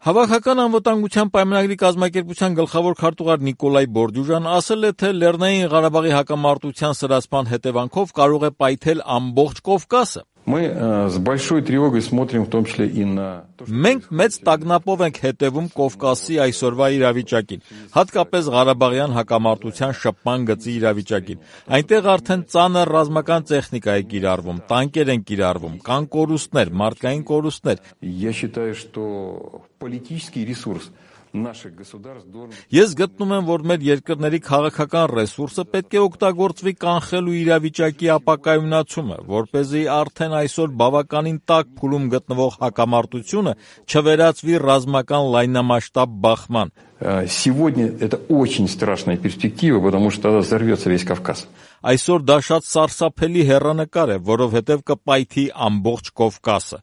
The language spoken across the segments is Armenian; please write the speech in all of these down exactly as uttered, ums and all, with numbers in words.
Հավաքական անվտանգության պայմանագրի կազմակերպության գլխավոր քարտուղար Նիկոլայ Բորդյուժան ասել է, թե Լեռնային Ղարաբաղի հակամարտության սրացման հետևանքով կարող է պայթել ամբողջ Կովկասը։ Մենք մեծ տագնապով ենք հետևում Կովկասի այսօրվա իրավիճակին, հատկապես Ղարաբաղյան հակամարտության շփման գծի իրավիճակին։ Այնտեղ արդեն ծանր ռազմական տեխնիկա է կիրառվում, տանկեր են կիրառվում, կան կորուստներ, մարդկային կորուստներ։ Ես գտնում եմ, որ մեր երկրների քաղաքական ռեսուրսը պետք է օգտագործվի կանխելու իրավիճակի ապակայունացումը, որպեսզի արդեն այսօր բավականին տաք փուլում գտնվող հակամարտությունը չվերածվի ռազմական լայնամասշտաբ բախման։ Сегодня это очень страшная перспектива, потому что тогда взорвется весь Кавказ. Այսօր դա շատ սարսափելի հեռանկար է, որովհետև կպայթի ամբողջ Կովկասը,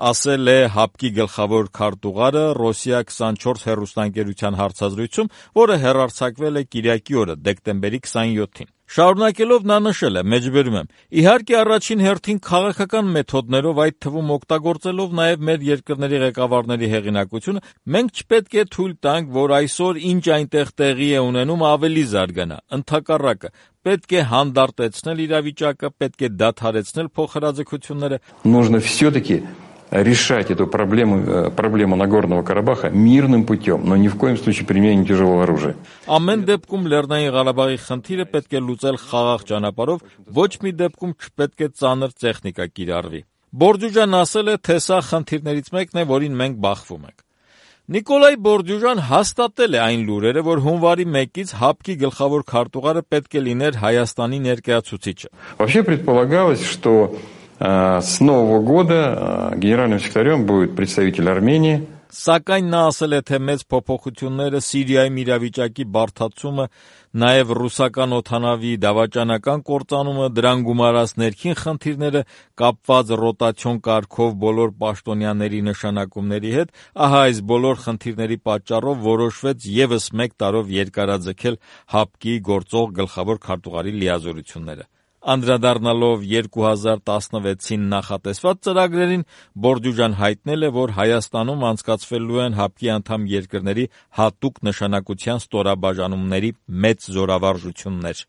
ասել է ՀԱՊԿ-ի գլխավոր քարտուղարը Ռոսիա քսանչորս հեռուստաընկերության հարցազրույցում, որը հեռարձակվել է կիրակի օրը, դեկտեմբերի քսանյոթին։ Շարունակելով նա նշել է, մեջբերում եմ, իհարկե առաջին հերթին քաղաքական մեթոդներով, այդ թվում օգտագործելով նաև մեր երկրների ղեկավարների հեղինակությունը, մենք չպետք է թույլ տանք, որ այսօր ինչ այնտեղ տեղի է ունենում ավելի զարգանա, ընդհակառակը, պետք է հանդարտեցնել իրավիճակը, պետք է դադարեցնել փոխհրաձգությունները։ Нужно все-таки решать эту проблему, проблему Нагорного Карабаха мирным путем, но ни в коем случае применением тяжелого оружия. Ամեն դեպքում Լեռնային Ղարաբաղի խնդիրը պետք է լուծել խաղաղ ճանապարհով, ոչ մի դեպքում չպետք է ծանր տեխնիկա կիրառվի։ Բորդյուժան ասել է, թե սա խնդիրներից մեկն է, որին մենք բախվում ենք։ Նիկոլայ Բորդյուժան հաստատել է այն լուրերը, որ հունվարի մեկից ՀԱՊԿ-ի գլխավոր քարտուղարը պետք է լիներ Հայաստանի ներկայացուցիչը։ Вообще предполагалось, что с Нового года генеральным секретарем будет представитель Армении. Սակայն նա ասել է, թե մեծ փոփոխությունները Սիրիայում իրավիճակի բարդացումը, նաև ռուսական օդանավի դավաճանական կործանումը, դրան գումարած ներքին խնդիրները կապված ռոտացիոն կարգով բոլոր պաշտոնյաների նշանակումների հետ, ահա այս բոլոր խնդիրների պատճառով որոշվեց ևս մեկ տարով երկարաձգել ՀԱՊԿ-ի գործող գլխավոր քարտուղարի լիազորությունները։ Անդրադառնալով երկու հազար տասնվեցին նախատեսված ծրագրերին, Բորդյուժան հայտնել է, որ Հայաստանում անցկացվելու են ՀԱՊԿ-ի անդամ երկրների հատուկ նշանակության ստորաբաժանումների մեծ զորավարժություններ։